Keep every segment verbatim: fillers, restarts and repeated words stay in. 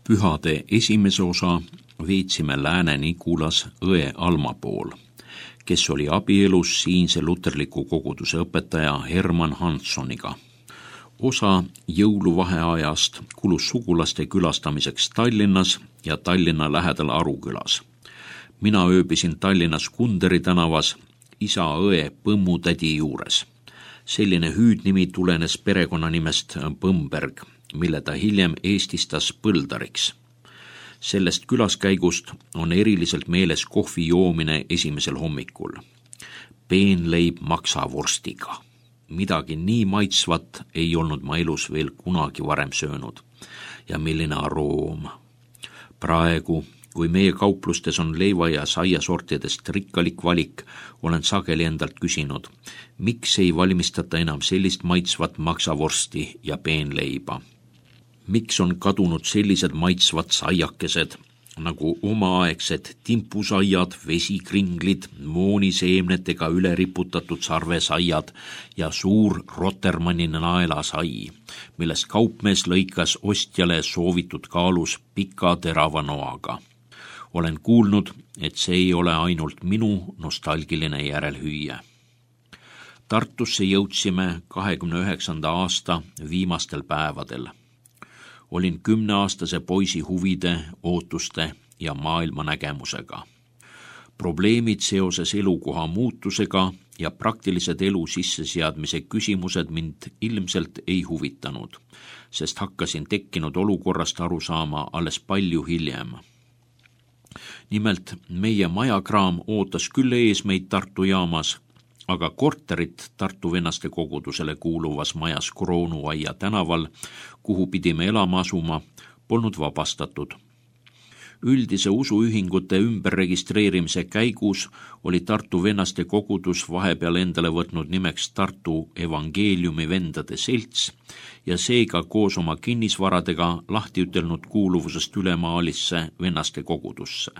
Pühade esimese osa veetsime Lääne-Nigulas õe Alma pool, kes oli abielus siinse luterliku koguduse õpetaja Herman Hanssoniga. Osa jõuluvaheajast kulus sugulaste külastamiseks Tallinnas ja Tallinna lähedal Arukülas. Mina ööbisin Tallinnas Kunderi tänavas isa õe Põmmutädi juures. Selline hüüdnimi tulenes perekonnanimest Põmberg, mille ta hiljem eestistas Põldariks. Sellest külaskäigust on eriliselt meeles kohvi joomine esimesel hommikul. Peenleib maksavorstiga. Midagi nii maitsvat ei olnud ma elus veel kunagi varem söönud. Ja milline aroom. Praegu, kui meie kauplustes on leiva- ja saiasortidest rikkalik valik, olen sageli endalt küsinud, miks ei valmistata enam sellist maitsvat maksavorsti ja peenleiba. Miks on kadunud sellised maitsvad saiakesed, nagu omaaegsed timpusaiad, vesikringlid, mooniseemnetega üle riputatud sarvesaiad ja suur Rotermanni naelasai, millest kaupmees lõikas ostjale soovitud kaalus pika terava noaga. Olen kuulnud, et see ei ole ainult minu nostalgiline järelhüüe. Tartusse jõudsime kahekümne üheksanda aasta viimastel päevadel. Olin kümneaastase poisi huvide, ootuste ja maailmanägemusega. Probleemid seoses elukoha muutusega ja praktilised elu sisseseadmise küsimused mind ilmselt ei huvitanud, sest hakkasin tekkinud olukorrast aru saama alles palju hiljem. Nimelt, meie majakraam ootas küll ees meid Tartu jaamas, aga korterit Tartu vennaste kogudusele kuuluvas majas Kroonuaia tänaval, kuhu pidime elama asuma, polnud vabastatud. Üldise usuühingute ümberregistreerimise käigus oli Tartu vennaste kogudus vahepeal endale võtnud nimeks Tartu Evangeeliumi vendade selts ja seega koos oma kinnisvaradega lahti ütelnud kuuluvusest ülemaalisse vennaste kogudusse.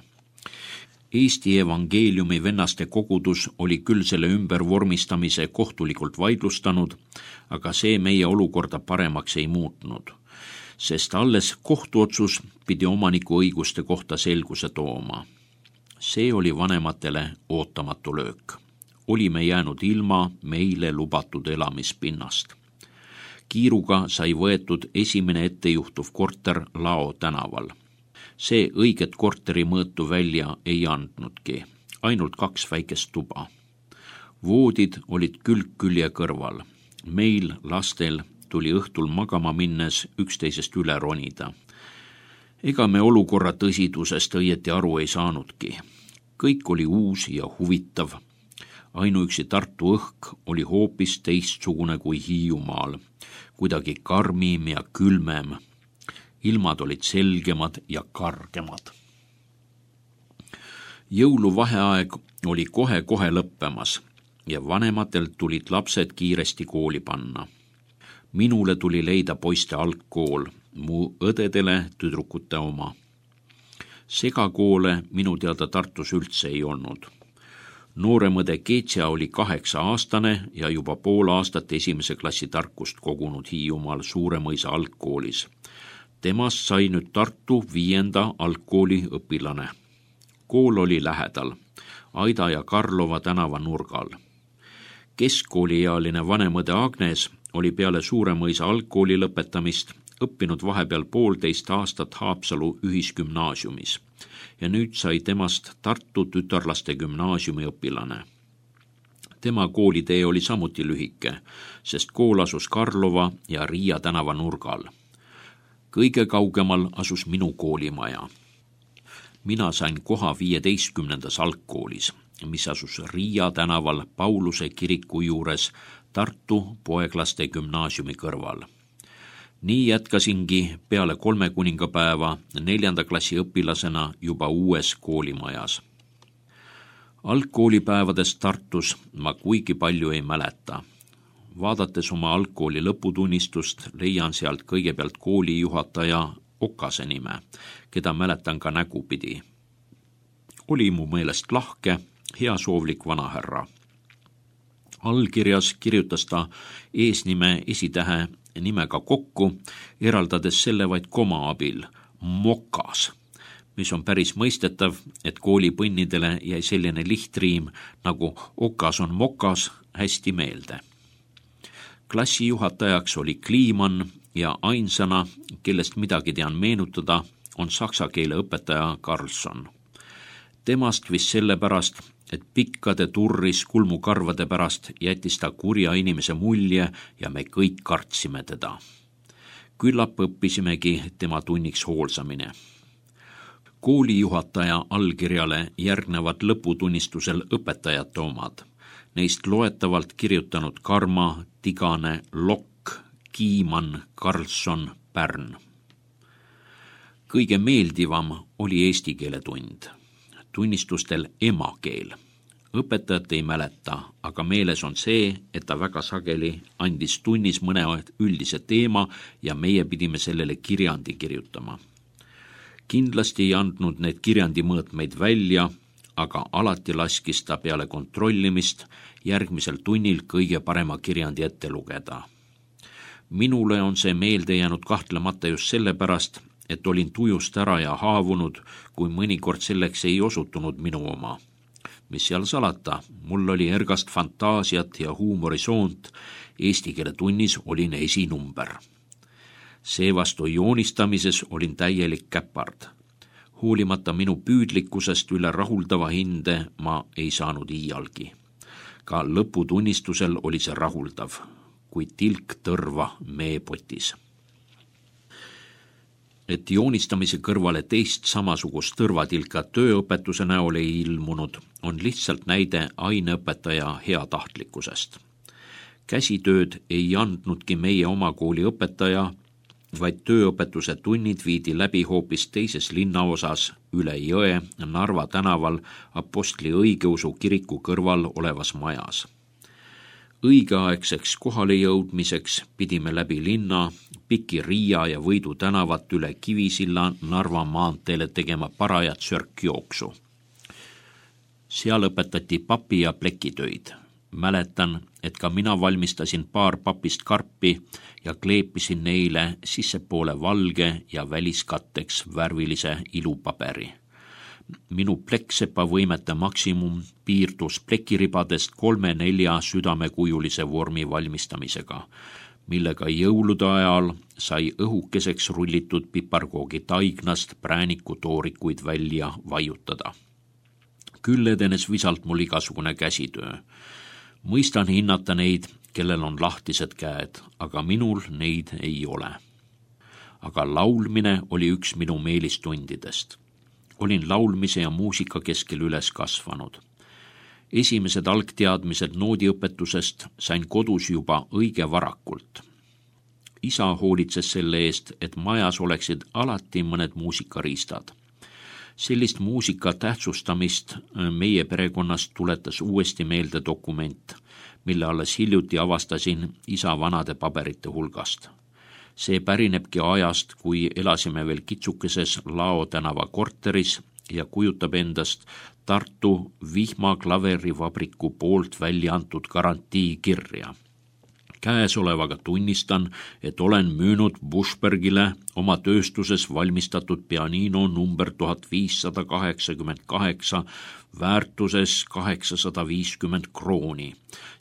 Eesti Evangeeliumi vennaste kogudus oli küll selle ümbervormistamise kohtulikult vaidlustanud, aga see meie olukorda paremaks ei muutnud, sest alles kohtuotsus pidi omaniku õiguste kohta selguse tooma. See oli vanematele ootamatu löök. Olime jäänud ilma meile lubatud elamispinnast. Kiiruga sai võetud esimene ettejuhtuv korter Lao tänaval. See õiget korteri mõõtu välja ei andnudki, ainult kaks väikest tuba. Voodid olid külg külje kõrval. Meil, lastel, tuli õhtul magama minnes üksteisest üle ronida. Ega me olukorra tõsidusest õieti aru ei saanudki. Kõik oli uus ja huvitav. Ainuüksi Tartu õhk oli hoopis teistsugune kui Hiiumaal, kuidagi karmim ja külmem. Ilmad olid selgemad ja kargemad. Jõuluvaheaeg oli kohe-kohe lõppemas ja vanematel tulid lapsed kiiresti kooli panna. Minule tuli leida poiste algkool, mu õdedele tüdrukute oma. Segakoole minu teada Tartus üldse ei olnud. Nooremõde Keetsia oli kaheksa aastane ja juba pool aastat esimese klassi tarkust kogunud Hiiumaal Suuremõisa algkoolis. Temast sai nüüd Tartu viienda algkooli õpilane. Kool oli lähedal, Aida ja Karlova tänava nurgal. Keskkooliealine vanemõde Agnes oli peale Suuremõisa algkooli lõpetamist õppinud vahepeal poolteist aastat Haapsalu ühisgümnaasiumis ja nüüd sai temast Tartu tütarlaste gümnaasiumi õpilane. Tema koolitee oli samuti lühike, sest kool asus Karlova ja Riia tänava nurgal. Kõige kaugemal asus minu koolimaja. Mina sain koha viieteistkümnendas algkoolis, mis asus Riia tänaval Pauluse kiriku juures Tartu poeglaste gümnaasiumi kõrval. Nii jätkasingi peale kolme kuningapäeva neljanda klassi õpilasena juba uues koolimajas. Algkoolipäevadest Tartus ma kuigi palju ei mäleta. Vaadates oma algkooli lõputunnistust, leian sealt kõigepealt koolijuhataja Okase nime, keda mäletan ka nägupidi. Oli mu meelest lahke, heasoovlik vanahärra. Allkirjas kirjutas ta eesnime esitähe nimega kokku, eraldades selle vaid koma abil, mokas, mis on päris mõistetav, et koolipõnnidele jäi selline lihtriim nagu okas on mokas hästi meelde. Klassijuhatajaks oli Kliiman ja ainsana, kellest midagi tean meenutada, on saksa keele õpetaja Karlsson. Temast vist sellepärast, et pikkade turris kulmukarvade pärast jättis ta kurja inimese mulje ja me kõik kartsime teda. Küllap õppisimegi tema tunniks hoolsamine. Koolijuhataja allkirjale järgnevad lõputunnistusel õpetajate omad. Neist loetavalt kirjutanud Karma, Tigane, Lokk, Kiiman, Karlsson, Pärn. Kõige meeldivam oli eesti keele tund. Tunnistustel emakeel. Õpetajat ei mäleta, aga meeles on see, et ta väga sageli andis tunnis mõne üldise teema ja meie pidime sellele kirjandi kirjutama. Kindlasti ei andnud need kirjandi mõõtmeid välja, aga alati laskis ta peale kontrollimist järgmisel tunnil kõige parema kirjandi ette lugeda. Minule on see meelde jäänud kahtlemata just sellepärast, et olin tujust ära ja haavunud, kui mõnikord selleks ei osutunud minu oma. Mis seal salata, mul oli ergast fantaasiat ja huumorisoont, eesti keele tunnis olin esinumber. Seevastu joonistamises olin täielik käpard. Hoolimata minu püüdlikkusest üle rahuldava hinde ma ei saanud iialgi. Ka lõputunnistusel oli see rahuldav, kui tilk tõrva meepotis. Et joonistamise kõrvale teist samasugust tõrvatilka tööõpetuse näol ei ilmunud, on lihtsalt näide aineõpetaja heatahtlikkusest. Käsitööd ei andnudki meie oma kooli õpetaja, vaid tööõpetuse tunnid viidi läbi hoopis teises linnaosas üle jõe Narva tänaval Apostli õigeusu kiriku kõrval olevas majas. Õigeaegseks kohale jõudmiseks pidime läbi linna, Piki Riia ja Võidu tänavat üle Kivisilla Narva maanteele tegema parajat sörkjooksu. Seal õpetati papi ja plekitöid. Mäletan, et ka mina valmistasin paar papist karpi ja kleepisin neile sissepoole valge ja väliskatteks värvilise ilupaberi. Minu pleksepa võimete maksimum piirdus plekiribadest kolme-nelja südamekujulise vormi valmistamisega, millega jõulude ajal sai õhukeseks rullitud piparkoogi taignast prääniku toorikuid välja vaiutada. Küll edenes visalt mul igasugune käsitöö. Mõistan hinnata neid, kellel on lahtised käed, aga minul neid ei ole. Aga laulmine oli üks minu meelistundidest. Olin laulmise ja muusika keskel üles kasvanud. Esimesed algteadmised noodiõpetusest sain kodus juba õige varakult. Isa hoolitses selle eest, et majas oleksid alati mõned muusikariistad. Sellist muusika tähtsustamist meie perekonnast tuletas uuesti meelde dokument, mille alles hiljuti avastasin isa vanade paberite hulgast. See pärinebki ajast, kui elasime veel kitsukeses Lao tänava korteris ja kujutab endast Tartu Vihma klaverivabriku poolt välja antud garantiikirja. Käesolevaga tunnistan, et olen müünud Buschbergile oma tööstuses valmistatud pianino number tuhat viissada kaheksakümmend kaheksa väärtuses kaheksasada viiskümmend krooni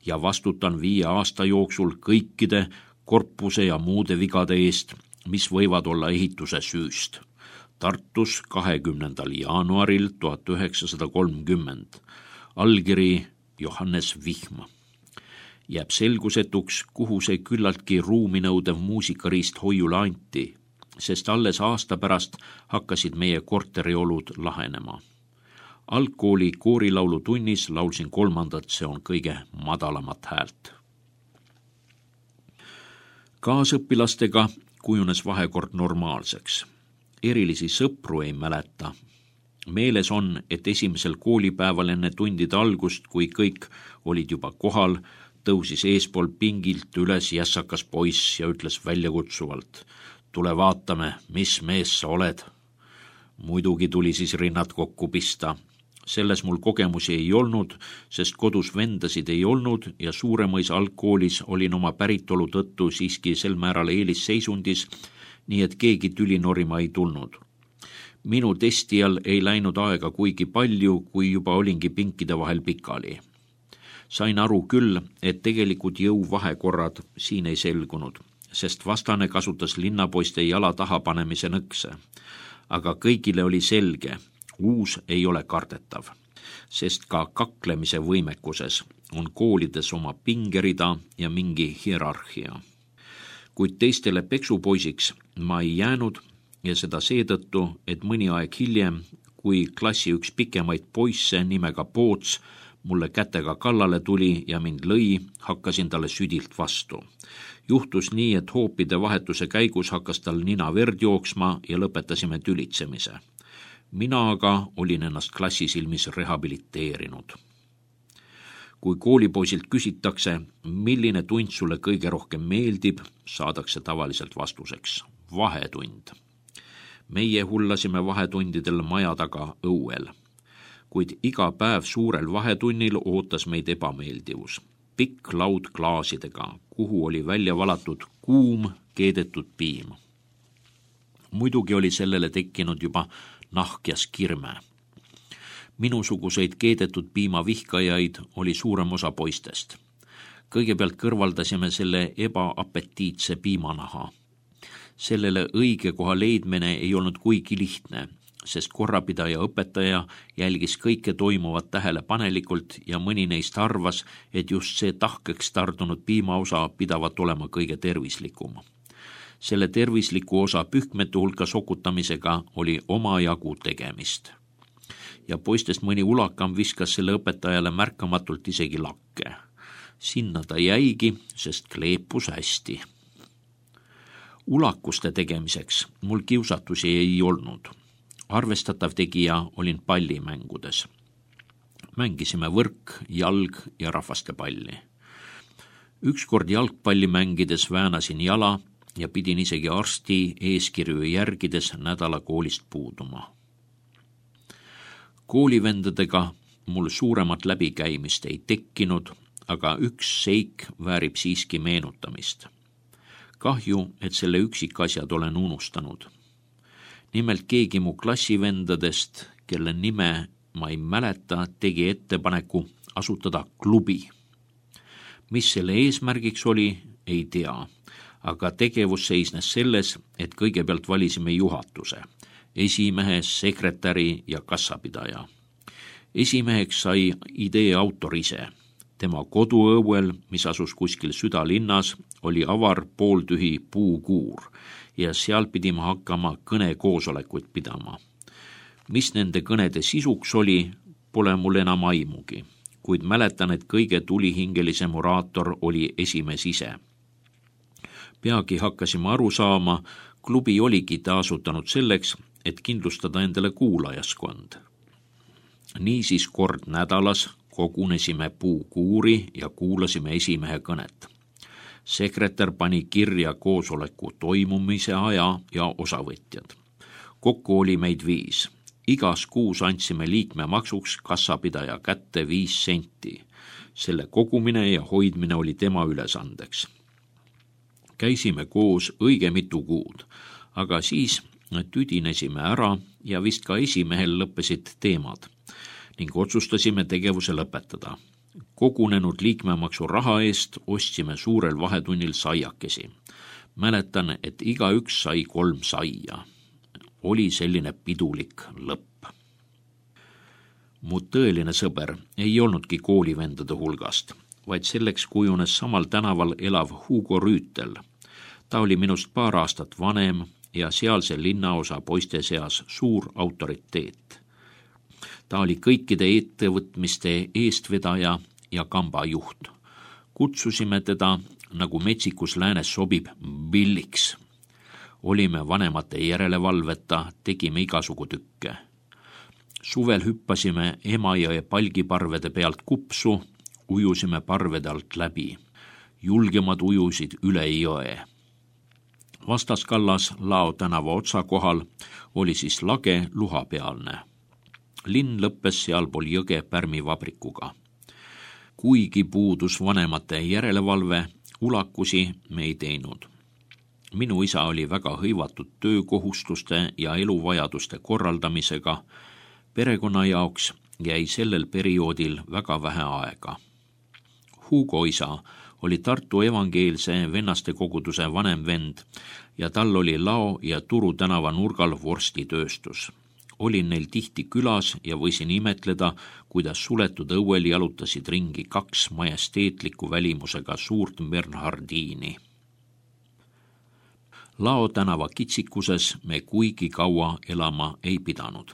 ja vastutan viie aasta jooksul kõikide korpuse ja muude vigade eest, mis võivad olla ehituse süüst. Tartus kahekümnendal jaanuaril tuhat üheksasada kolmkümmend. Allkiri Johannes Vihm. Jääb selgusetuks, kuhu see küllaltki ruuminõudev muusikariist hoiule anti, sest alles aasta pärast hakkasid meie korteriolud lahenema. Algkooli koorilaulu tunnis laulsin kolmandat, see on kõige madalamat häält. Kaasõpilastega kujunes vahekord normaalseks. Erilisi sõpru ei mäleta. Meeles on, et esimesel koolipäeval enne tundide algust, kui kõik olid juba kohal, tõusis eespool pingilt üles jässakas poiss ja ütles väljakutsuvalt: tule vaatame, mis mees sa oled. Muidugi tuli siis rinnad kokku pista. Selles mul kogemusi ei olnud, sest kodus vendasid ei olnud ja Suuremõisa algkoolis olin oma päritolu tõttu siiski sel määral eelisseisundis, nii et keegi tüli norima ei tulnud. Minu testijal ei läinud aega kuigi palju, kui juba olingi pinkide vahel pikali. Sain aru küll, et tegelikud jõuvahekorrad siin ei selgunud, sest vastane kasutas linnapoiste jala taha panemise nõkse. Aga kõigile oli selge, uus ei ole kardetav, sest ka kaklemise võimekuses on koolides oma pingerida ja mingi hierarhia. Kuid teistele peksupoisiks ma ei jäänud ja seda seetõttu, et mõni aeg hiljem, kui klassi üks pikemaid poisse nimega Poots mulle kätega kallale tuli ja mind lõi, hakkasin talle südilt vastu. Juhtus nii, et hoopide vahetuse käigus hakkas tal nina verd jooksma ja lõpetasime tülitsemise. Mina aga olin ennast klassi silmis rehabiliteerinud. Kui koolipoisilt küsitakse, milline tund sulle kõige rohkem meeldib, saadakse tavaliselt vastuseks vahetund. Meie hullasime vahetundidel maja taga õuel, kuid iga päev suurel vahetunnil ootas meid ebameeldivus. Pikk laud klaasidega, kuhu oli välja valatud kuum keedetud piim. Muidugi oli sellele tekkinud juba nahkjas kirme. Minusuguseid keedetud piima vihkajaid oli suurem osa poistest. Kõigepealt kõrvaldasime selle ebaapetiitse piimanaha. Sellele õige koha leidmine ei olnud kuigi lihtne, sest korrapidaja õpetaja jälgis kõike toimuvat tähelepanelikult ja mõni neist arvas, et just see tahkeks tardunud piimaosa pidavat olema kõige tervislikum. Selle tervisliku osa pühkmete hulka sokutamisega oli omajagu tegemist. Ja poistest mõni ulakam viskas selle õpetajale märkamatult isegi lakke. Sinna ta jäigi, sest kleepus hästi. Ulakuste tegemiseks mul kiusatusi ei olnud. Arvestatav tegija olin pallimängudes. Mängisime võrk, jalg ja rahvastepalli. Ükskord jalgpalli mängides väänasin jala ja pidin isegi arsti eeskirju järgides nädala koolist puuduma. Koolivendadega mul suuremat läbikäimist ei tekkinud, aga üks seik väärib siiski meenutamist. Kahju, et selle üksikasjad olen unustanud. Nimelt keegi mu klassivendadest, kelle nime ma ei mäleta, tegi ettepaneku asutada klubi. Mis selle eesmärgiks oli, ei tea, aga tegevus seisnes selles, et kõigepealt valisime juhatuse, esimehe, sekretäri ja kassapidaja. Esimeheks sai idee autor ise. Tema koduõuel, mis asus kuskil südalinnas, oli avar pooltühi puukuur ja seal pidime hakkama kõnekoosolekuid pidama. Mis nende kõnede sisuks oli, pole mul enam aimugi, kuid mäletan, et kõige tulihingelisem oraator oli esimees ise. Peagi hakkasime aru saama, klubi oligi ta asutanud selleks, et kindlustada endale kuulajaskond. Niisiis kord nädalas kogunesime puukuuri ja kuulasime esimehe kõnet. Sekretär pani kirja koosoleku toimumise aja ja osavõtjad. Kokku oli meid viis. Igas kuus andsime liikmemaksuks kassapidaja kätte viis senti. Selle kogumine ja hoidmine oli tema ülesandeks. Käisime koos õige mitu kuud, aga siis tüdinesime ära ja vist ka esimehel lõppesid teemad ning otsustasime tegevuse lõpetada. Kogunenud liikmemaksu raha eest ostsime suurel vahetunnil saiakesi. Mäletan, et iga üks sai kolm saia. Oli selline pidulik lõpp. Mu tõeline sõber ei olnudki koolivendade hulgast, vaid selleks kujunes samal tänaval elav Hugo Rüütel. Ta oli minust paar aastat vanem ja sealse linnaosa poiste seas suur autoriteet. Ta oli kõikide ettevõtmiste eestvedaja ja kambajuht. Kutsusime teda, nagu metsikus läänes sobib, billiks. Olime vanemate järelevalveta, tegime igasugu tükke. Suvel hüppasime Emajõe palgiparvede pealt kupsu, ujusime parvede alt läbi. Julgemad ujusid üle jõe. Vastaskallas Lao tänava otsa kohal oli siis lage luhapealne. Linn lõppes sealpool jõge pärmivabrikuga. Kuigi puudus vanemate järelevalve, ulakusi me ei teinud. Minu isa oli väga hõivatud töökohustuste ja eluvajaduste korraldamisega. Perekonna jaoks jäi sellel perioodil väga vähe aega. Hugo isa oli Tartu evangeelse vennaste koguduse vanem vend ja tal oli Lao ja Turu tänava nurgal vorstitööstus. Olin neil tihti külas ja võisin imetleda, kuidas suletud õuel jalutasid ringi kaks majesteetliku välimusega suurt Bernhardiini. Lao tänava kitsikuses me kuigi kaua elama ei pidanud.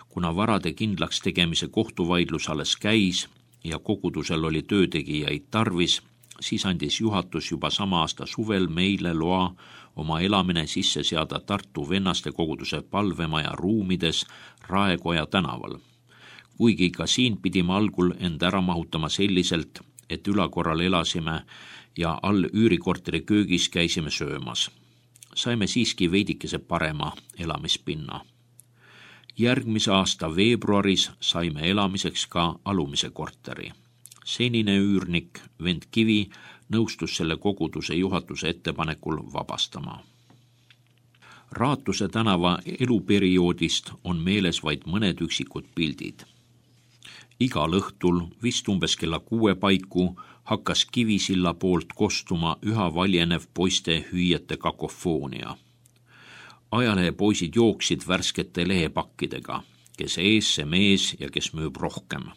Kuna varade kindlaks tegemise kohtuvaidlus alles käis ja kogudusel oli töötegijaid tarvis, siis andis juhatus juba sama aasta suvel meile loa oma elamine sisse seada Tartu vennaste koguduse palvemaja ruumides Raekoja tänaval. Kuigi ka siin pidime algul end ära mahutama selliselt, et ülakorral elasime ja all üürikorteri köögis käisime söömas. Saime siiski veidikese parema elamispinna. Järgmise aasta veebruaris saime elamiseks ka alumise korteri. Senine üürnik vend Kivi nõustus selle koguduse juhatuse ettepanekul vabastama. Raatuse tänava eluperioodist on meeles vaid mõned üksikud pildid. Igal õhtul, vist umbes kella kuue paiku, hakkas Kivisilla poolt kostuma üha valjenev poiste hüüjete kakofoonia. Ajalehepoisid jooksid värskete lehepakkidega, kes ees see mees ja kes müüb rohkem.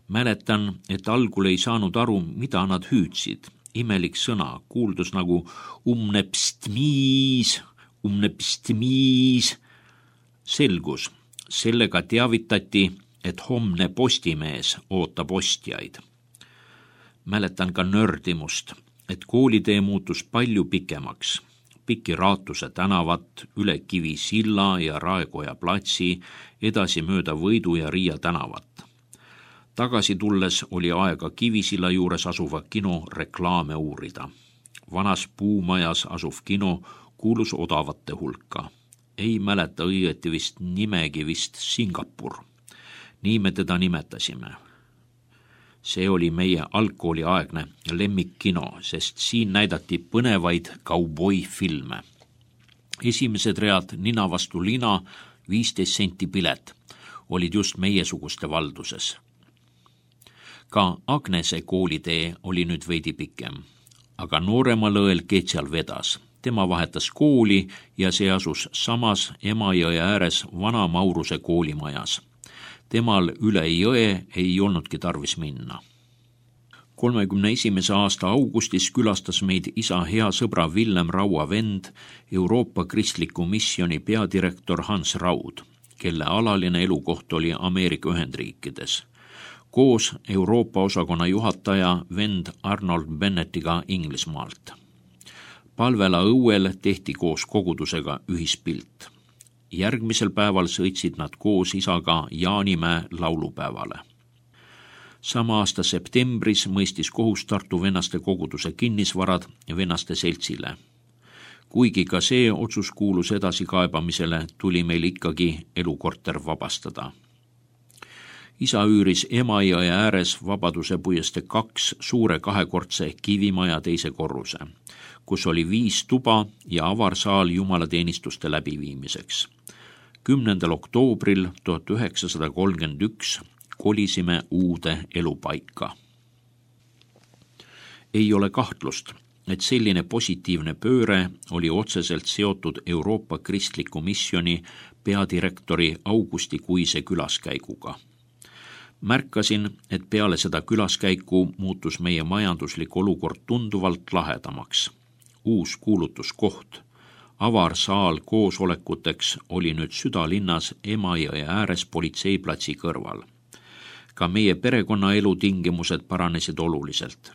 Mäletan, et algul ei saanud aru, mida nad hüüdsid. Imelik sõna kuuldus nagu umnepstmiis, umnepstmiis. Selgus, sellega teavitati, et homne postimees ootab ostjaid. Mäletan ka nördimust, et koolitee muutus palju pikemaks. Piki Raatuse tänavat, üle Kivisilla ja Raekoja platsi, edasi mööda Võidu ja Riia tänavat. Tagasi tulles oli aega Kivisilla juures asuva kino reklaame uurida. Vanas puumajas asuv kino kuulus odavate hulka. Ei mäleta õieti vist nimegi vist Singapur. Nii me teda nimetasime. See oli meie algkooliaegne lemmikkino, sest siin näidati põnevaid kauboi-filme. Esimesed read nina vastu lina, viisteist senti pilet, olid just meiesuguste valduses. Ka Agnese koolitee oli nüüd veidi pikem, aga nooremal õel Ketsial vedas. Tema vahetas kooli ja see asus samas Emajõe ääres vana Mauruse koolimajas. Temal üle jõe ei olnudki tarvis minna. kolmekümne esimese aasta augustis külastas meid isa hea sõbra Villem Raua vend, Euroopa Kristliku missioni peadirektor Hans Raud, kelle alaline elukoht oli Ameerika Ühendriikides. Koos Euroopa osakonna juhataja vend Arnold Bennettiga Inglismaalt. Palvela õuel tehti koos kogudusega ühispilt. Järgmisel päeval sõitsid nad koos isaga Jaanimäe laulupäevale. Sama aasta septembris mõistis kohus Tartu vennaste koguduse kinnisvarad vennaste seltsile. Kuigi ka see otsus kuulus edasikaebamisele, tuli meil ikkagi elukorter vabastada. Isa üüris Emajõe ääres Vabaduse puiestee kaks suure kahekordse kivimaja teise korruse, kus oli viis tuba ja avarsaal jumalateenistuste läbiviimiseks. kümnendal oktoobril tuhat üheksasada kolmkümmend üks kolisime uude elupaika. Ei ole kahtlust, et selline positiivne pööre oli otseselt seotud Euroopa Kristliku missioni peadirektori augustikuise külaskäiguga. Märkasin, et peale seda külaskäiku muutus meie majanduslik olukord tunduvalt lahedamaks. Uus kuulutuskoht, avarsaal koosolekuteks oli nüüd südalinnas Emajõe ääres politseiplatsi kõrval. Ka meie perekonnaelu tingimused paranesid oluliselt.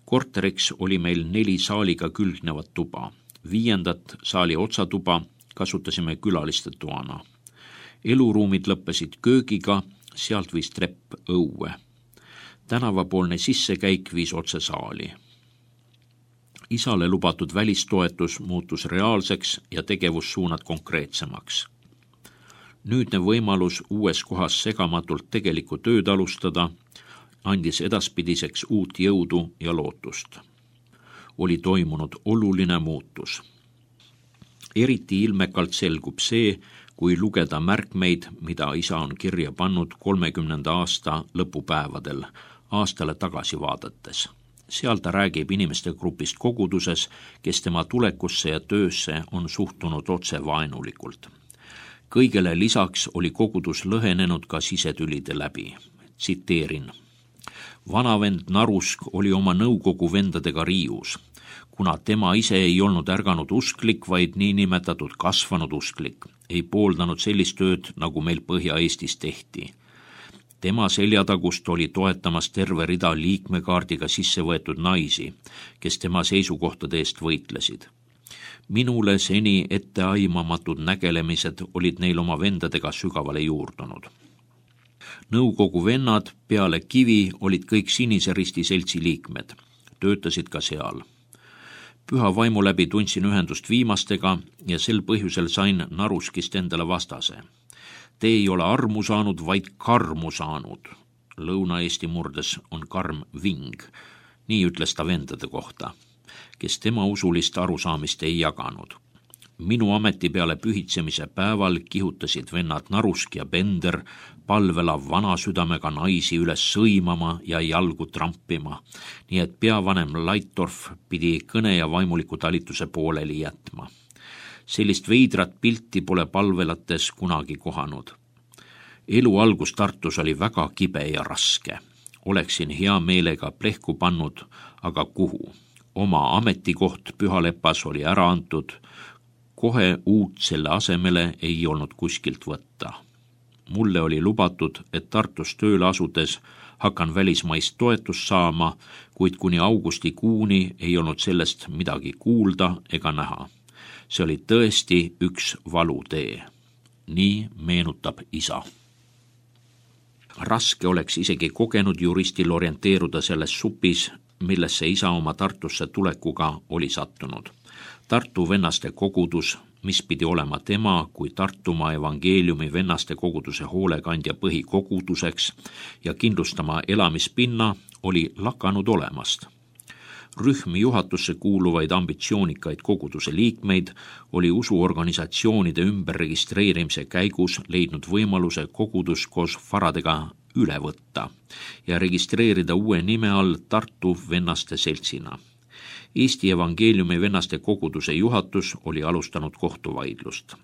Korteriks oli meil neli saaliga külgnevat tuba. Viiendat saali otsatuba kasutasime külaliste toana. Eluruumid lõppesid köögiga, sealt viis trepp õue. Tänavapoolne sissekäik viis otse saali. Isale lubatud välistoetus muutus reaalseks ja tegevussuunad konkreetsemaks. Nüüdne võimalus uues kohas segamatult tegelikku tööd alustada andis edaspidiseks uut jõudu ja lootust. Oli toimunud oluline muutus. Eriti ilmekalt selgub see, kui lugeda märkmeid, mida isa on kirja pannud kolmekümnenda aasta lõpupäevadel, aastale tagasi vaadates. Seal ta räägib inimeste grupist koguduses, kes tema tulekusse ja töösse on suhtunud otse vaenulikult. Kõigele lisaks oli kogudus lõhenenud ka sisetülide läbi. Tsiteerin. Vanavend Narusk oli oma nõukogu vendadega riius, kuna tema ise ei olnud ärganud usklik, vaid niinimetatud kasvanud usklik, ei pooldanud sellist tööd, nagu meil Põhja-Eestis tehti. Tema seljatagust oli toetamas terve rida liikmekaardiga sisse võetud naisi, kes tema seisukohtade eest võitlesid. Minule seni etteaimamatud nägelemised olid neil oma vendadega sügavale juurdunud. Nõukogu vennad peale Kivi olid kõik Sinise Risti seltsi liikmed, töötasid ka seal. Püha vaimu läbi tundsin ühendust viimastega ja sel põhjusel sain Naruskist endale vastase. Te ei ole armu saanud, vaid karmu saanud. Lõuna-Eesti murdes on karm ving. Nii ütles ta vendade kohta, kes tema usulist arusaamist ei jaganud. Minu ameti peale pühitsemise päeval kihutasid vennad Narusk ja Bender palvela vana südamega naisi üles sõimama ja jalgu trampima, nii et peavanem Laittorf pidi kõne ja vaimuliku talituse pooleli jätma. Sellist veidrat pilti pole palvelates kunagi kohanud. Elu algus Tartus oli väga kibe ja raske. Oleksin hea meelega plehku pannud, aga kuhu? Oma ametikoht Pühalepas oli ära antud, kohe uut selle asemele ei olnud kuskilt võtta. Mulle oli lubatud, et Tartus tööle asudes hakkan välismaist toetust saama, kuid kuni augustikuuni ei olnud sellest midagi kuulda ega näha. See oli tõesti üks valutee. Nii meenutab isa. Raske oleks isegi kogenud juristil orienteeruda selles supis, millesse isa oma Tartusse tulekuga oli sattunud. Tartu vennaste kogudus, mis pidi olema tema kui Tartumaa evangeeliumi vennaste koguduse hoolekandja põhikoguduseks ja kindlustama elamispinna, oli lakanud olemast. Rühm juhatusse kuuluvaid ambitsioonikaid koguduse liikmeid oli usuorganisatsioonide ümberregistreerimise käigus leidnud võimaluse kogudus koos faradega üle võtta ja registreerida uue nime all Tartu vennaste seltsina. Eesti evangeeliumi vennaste koguduse juhatus oli alustanud kohtuvaidlust.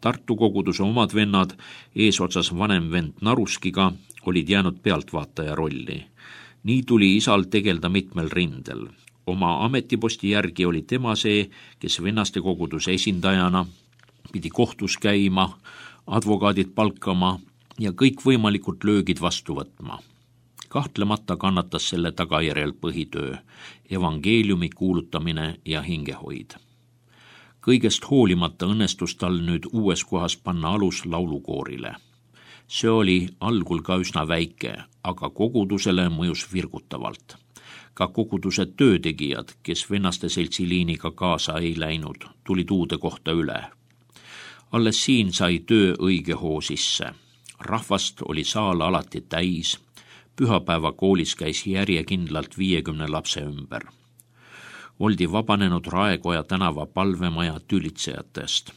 Tartu koguduse omad vennad, eesotsas vanem vend Naruskiga, olid jäänud pealtvaataja rolli. Nii tuli isal tegelda mitmel rindel. Oma ametiposti järgi oli tema see, kes vennaste koguduse esindajana pidi kohtus käima, advokaadid palkama ja kõik võimalikud löögid vastu võtma. Kahtlemata kannatas selle tagajärjel põhitöö, evangeeliumi kuulutamine ja hingehoid. Kõigest hoolimata õnnestus tal nüüd uues kohas panna alus laulukoorile. See oli algul ka üsna väike, aga kogudusele mõjus virgutavalt. Ka koguduse töötegijad, kes vennaste seltsi liiniga kaasa ei läinud, tulid uude kohta üle. Alles siin sai töö õige hoo sisse. Rahvast oli saal alati täis, pühapäeva koolis käis järjekindlalt viiekümne lapse ümber. Oldi vabanenud Raekoja tänava palvemaja tülitsejatest.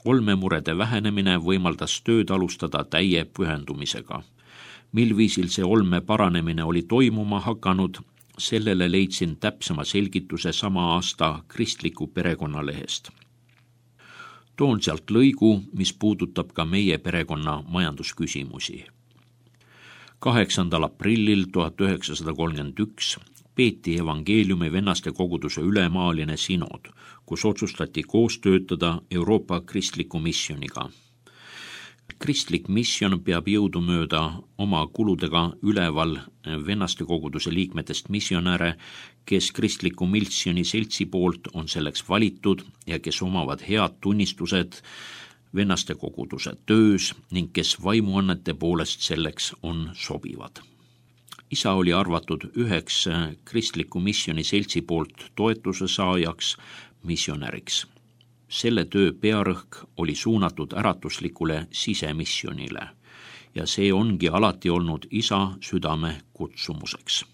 Olmemurede vähenemine võimaldas tööd alustada täie pühendumisega. Mil viisil see olme paranemine oli toimuma hakanud, sellele leidsin täpsema selgituse sama aasta kristliku perekonnalehest. Toon sealt lõigu, mis puudutab ka meie perekonna majandusküsimusi. kaheksandal aprillil tuhat üheksasada kolmkümmend üks peeti evangeeliumi vennaste koguduse ülemaaline sinod, kus otsustati koos töötada Euroopa kristliku missioniga. Kristlik misjon peab jõudumööda oma kuludega üleval vennaste koguduse liikmetest missionäre, kes kristliku missioni seltsi poolt on selleks valitud ja kes omavad head tunnistused vennaste koguduse töös ning kes vaimuannete poolest selleks on sobivad. Isa oli arvatud üheks kristliku missioni seltsi poolt toetuse saajaks missionäriks. Selle töö pearõhk oli suunatud äratuslikule sisemissionile ja see ongi alati olnud isa südame kutsumuseks.